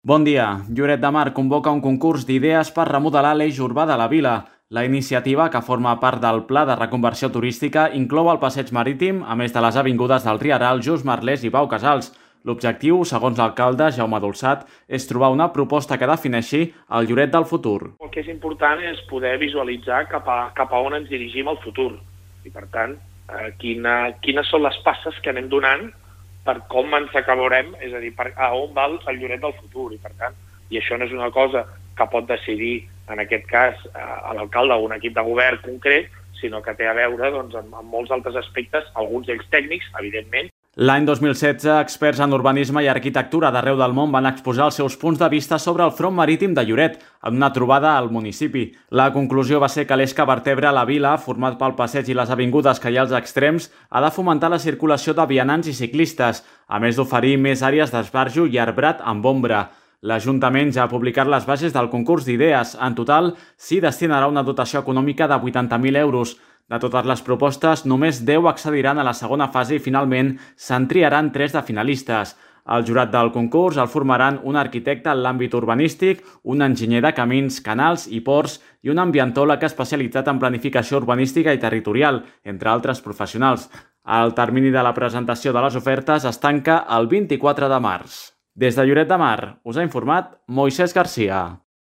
Bon dia. Lloret de Mar convoca un concurs d'idees per remodelar l'eix urbà de la vila. La iniciativa, que forma part del Pla de Reconversió Turística, inclou el passeig marítim, a més de les avingudes del Rieral, Just Merlès i Pau Casals. L'objectiu, segons l'alcalde Jaume Dolçat, és trobar una proposta que defineixi el Lloret del futur. El que és important és poder visualitzar cap a on ens dirigim al futur. I, per tant, quines són les passes que anem donant per com ens acabarem, és a dir, a on va el Lloret del futur. I, per tant, i això no és una cosa que pot decidir, en aquest cas, l'alcalde o un equip de govern concret, sinó que té a veure amb molts altres aspectes, alguns d'ells tècnics, evidentment. L'any 2016, experts en urbanisme i arquitectura d'arreu del món van exposar els seus punts de vista sobre el front marítim de Lloret, en una trobada al municipi. La conclusió va ser que l'eix que vertebra la vila, format pel passeig i les avingudes que hi ha als extrems, ha de fomentar la circulació de vianants i ciclistes, a més d'oferir més àrees d'esbarjo i arbrat amb ombra. L'Ajuntament ja ha publicat les bases del concurs d'idees. En total, s'hi destinarà una dotació econòmica de 80.000 euros. De totes les propostes, només 10 accediran a la segona fase i finalment se'n triaran 3 de finalistes. El jurat del concurs el formaran un arquitecte en l'àmbit urbanístic, un enginyer de camins, canals i ports i un ambientòleg especialitzat en planificació urbanística i territorial, entre altres professionals. El termini de la presentació de les ofertes es tanca el 24 de març. Des de Lloret de Mar, us ha informat Moisès Garcia.